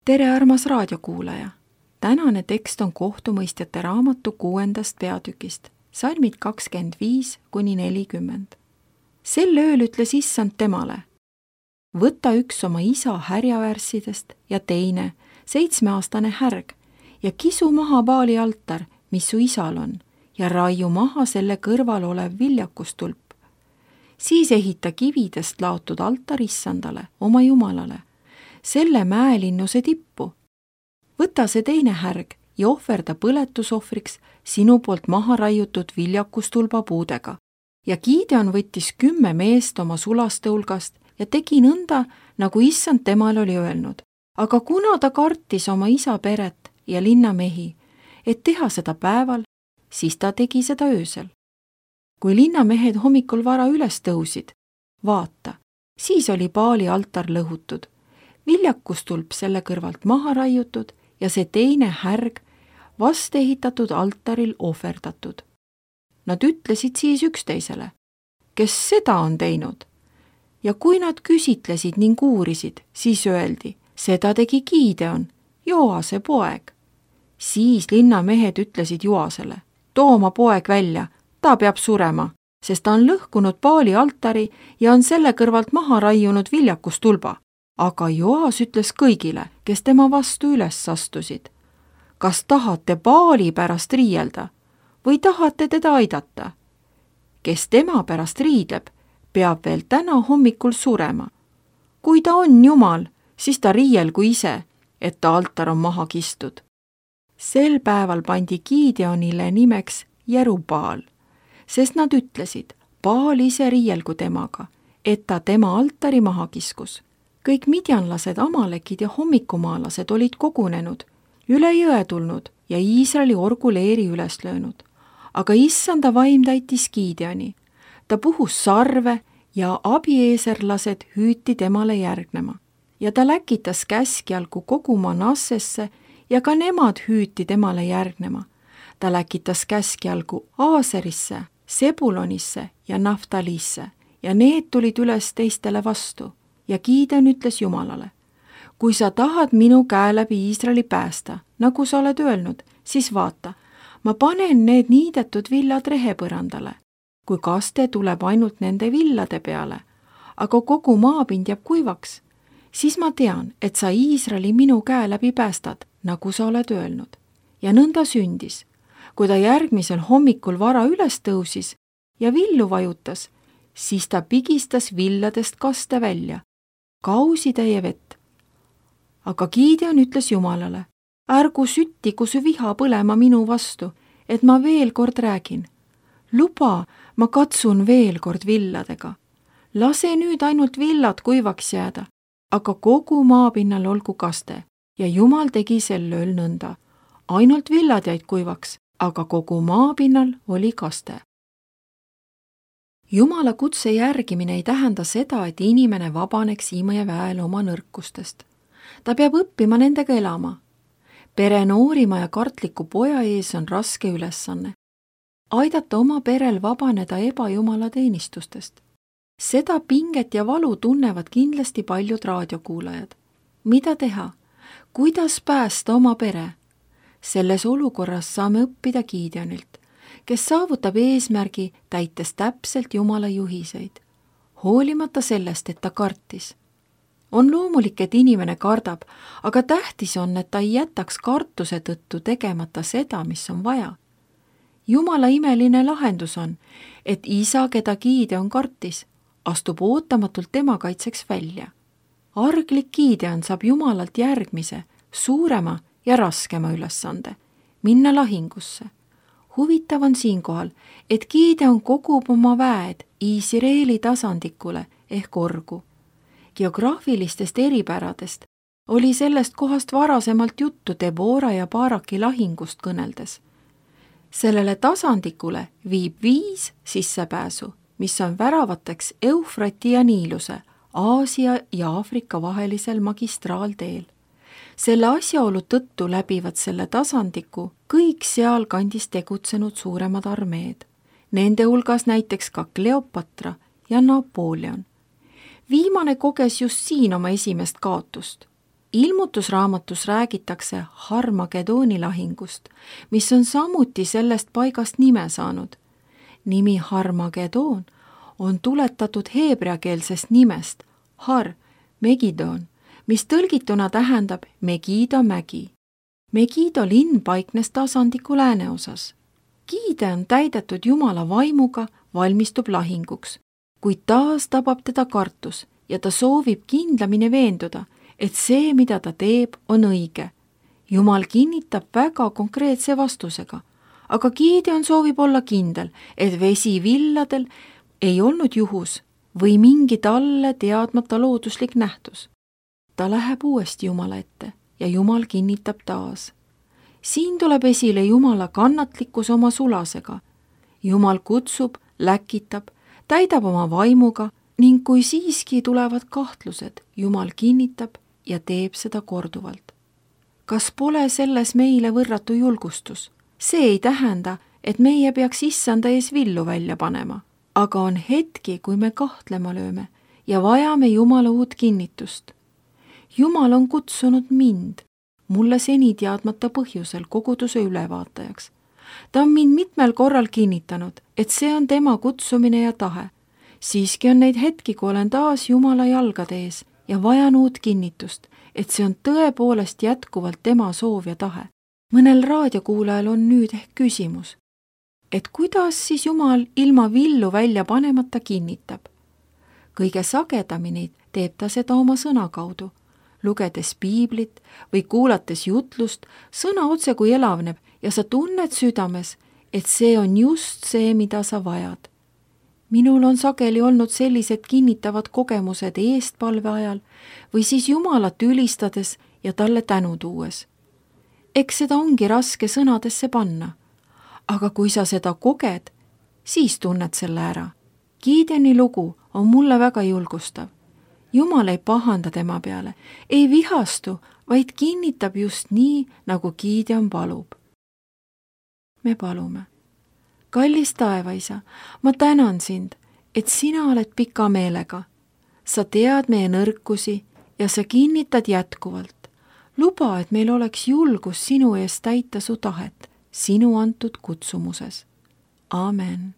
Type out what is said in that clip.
Tere, armas raadiokuulaja! Tänane tekst on kohtumõistjate raamatu 6. peatükist, salmid 25–40. Sel ööl ütles issand temale: võta üks oma isa härjaväärssidest ja teine 7-aastane härg ja kisu maha Baali altar, mis su isal on, ja raiu maha selle kõrval olev viljakustulp. Siis ehita kividest laotud altar issandale, oma jumalale, selle mäelinnuse tippu. Võta see teine härg ja ohverda põletusohvriks sinu poolt maha raiutud viljakustulba puudega. Ja Gideon võttis 10 meest oma sulaste hulgast ja tegi nõnda, nagu issand temale oli öelnud. Aga kuna ta kartis oma isa peret ja linnamehi, et teha seda päeval, siis ta tegi seda öösel. Kui linnamehed hommikul vara üles tõusid, vaata, siis oli Baali altar lõhutud, viljakustulp selle kõrvalt maha raiutud ja see teine härg vast ehitatud altaril ohverdatud. Nad ütlesid siis üksteisele: kes seda on teinud? Ja kui nad küsitlesid ning uurisid, siis öeldi: seda tegi Gideon, Joase poeg. Siis linnamehed ütlesid Joasele: too oma poeg välja, ta peab surema, sest ta on lõhkunud Baali altari ja on selle kõrvalt maha raiunud viljakustulba. Aga Joas ütles kõigile, kes tema vastu üles astusid: kas tahate Baali pärast riielda või tahate teda aidata? Kes tema pärast riidleb, peab veel täna hommikul surema. Kui ta on jumal, siis ta riielgu ise, et ta altar on maha kistud. Sel päeval pandi Gideonile nimeks Jerubaal, sest nad ütlesid: Baal ise riielgu temaga, et ta tema altari maha kiskus. Kõik midjanlased, amalekid ja hommikumaalased olid kogunenud, üle jõe tulnud ja Iisraeli orguleeri üles löönud. Aga issanda vaim täitis Gideoni. Ta puhus sarve ja abieeserlased hüüti temale järgnema. Ja ta läkitas käskjalgu kogu Manassesse ja ka nemad hüüti temale järgnema. Ta läkitas käskjalgu Aaserisse, Sebulonisse ja Naftalisse ja need tulid üles teistele vastu. Ja Gideon ütles Jumalale: kui sa tahad minu käe läbi Iisraeli päästa, nagu sa oled öelnud, siis vaata, ma panen need niidetud villad rehepõrandale. Kui kaste tuleb ainult nende villade peale, aga kogu maapind jääb kuivaks, siis ma tean, et sa Iisraeli minu käe läbi päästad, nagu sa oled öelnud. Ja nõnda sündis. Kui ta järgmisel hommikul vara üles tõusis ja villu vajutas, siis ta pigistas villadest kaste välja, kausitäie vett. Aga Gideon ütles Jumalale: ärgu süttigu su viha põlema minu vastu, et ma veel kord räägin. Luba, ma katsun veel kord villadega. Lase nüüd ainult villad kuivaks jääda, aga kogu maapinnal olgu kaste. Ja Jumal tegi sel ööl nõnda. Ainult villad jäid kuivaks, aga kogu maapinnal oli kaste. Jumala kutse järgimine ei tähenda seda, et inimene vabaneks imeväel oma nõrkustest. Ta peab õppima nendega elama. Pere noorima ja kartliku poja ees on raske ülesanne. Aidata oma perel vabaneda ebajumala teenistustest. Seda pinget ja valu tunnevad kindlasti paljud raadiokuulajad. Mida teha? Kuidas päästa oma pere? Selles olukorras saame õppida Gideonilt, kes saavutab eesmärgi täites täpselt Jumala juhiseid, hoolimata sellest, et ta kartis. On loomulik, et inimene kardab, aga tähtis on, et ta ei jätaks kartuse tõttu tegemata seda, mis on vaja. Jumala imeline lahendus on, et isa, keda Gideon kartis, astub ootamatult tema kaitseks välja. Arglik Gideon saab Jumalalt järgmise, suurema ja raskema ülesande, minna lahingusse. Huvitav on siinkohal, et Gideon kogub oma väed Iisraeli tasandikule ehk orgu. Geograafilistest eripäradest oli sellest kohast varasemalt juttu Debora ja Baraki lahingust kõneldes. Sellele tasandikule viib 5 sissepääsu, mis on väravateks Eufrati ja Niiluse, Aasia ja Aafrika vahelisel magistraalteel. Selle asjaolu tõttu läbivad selle tasandiku kõik sealkandis tegutsenud suuremad armeed. Nende hulgas näiteks ka Kleopatra ja Napoleon. Viimane koges just siin oma esimest kaotust. Ilmutusraamatus räägitakse Harmagedooni lahingust, mis on samuti sellest paigast nime saanud. Nimi Harmagedoon on tuletatud heebreakeelsest nimest Har, Megidon, mis tõlgituna tähendab Megida mägi. Megido linn paiknes tasandiku lääneosas. Gideon täidetud Jumala vaimuga valmistub lahinguks, kuid taas tabab teda kartus ja ta soovib kindlamini veenduda, et see, mida ta teeb, on õige. Jumal kinnitab väga konkreetse vastusega, aga Gideon soovib olla kindel, et vesi villadel ei olnud juhus või mingi talle teadmata looduslik nähtus. Ta läheb uuesti Jumala ette ja Jumal kinnitab taas. Siin tuleb esile Jumala kannatlikkus oma sulasega. Jumal kutsub, läkitab, täidab oma vaimuga ning kui siiski tulevad kahtlused, Jumal kinnitab ja teeb seda korduvalt. Kas pole selles meile võrratu julgustus? See ei tähenda, et meie peaks issanda ees villu välja panema, aga on hetki, kui me kahtlema lööme ja vajame Jumala uut kinnitust. Jumal on kutsunud mind, mulle seni teadmata põhjusel koguduse ülevaatajaks. Ta on mind mitmel korral kinnitanud, et see on tema kutsumine ja tahe. Siiski on neid hetki, kui olen taas Jumala jalgade ees ja vajan uut kinnitust, et see on tõepoolest jätkuvalt tema soov ja tahe. Mõnel raadiokuulajal on nüüd ehk küsimus, et kuidas siis Jumal ilma villu välja panemata kinnitab? Kõige sagedamini teeb ta seda oma sõna kaudu, lugedes piiblit või kuulates jutlust, sõna otse kui elavneb ja sa tunned südames, et see on just see, mida sa vajad. Minul on sageli olnud sellised kinnitavad kogemused eestpalve ajal või siis Jumalat ülistades ja talle tänu tuues. Eks seda ongi raske sõnadesse panna, aga kui sa seda koged, siis tunned selle ära. Gideoni lugu on mulle väga julgustav. Jumal ei pahanda tema peale, ei vihastu, vaid kinnitab just nii, nagu Gideon palub. Me palume. Kallis taevaisa, ma tänan sind, et sina oled pika meelega. Sa tead meie nõrkusi ja sa kinnitad jätkuvalt. Luba, et meil oleks julgus sinu eest täita su tahet, sinu antud kutsumuses. Amen.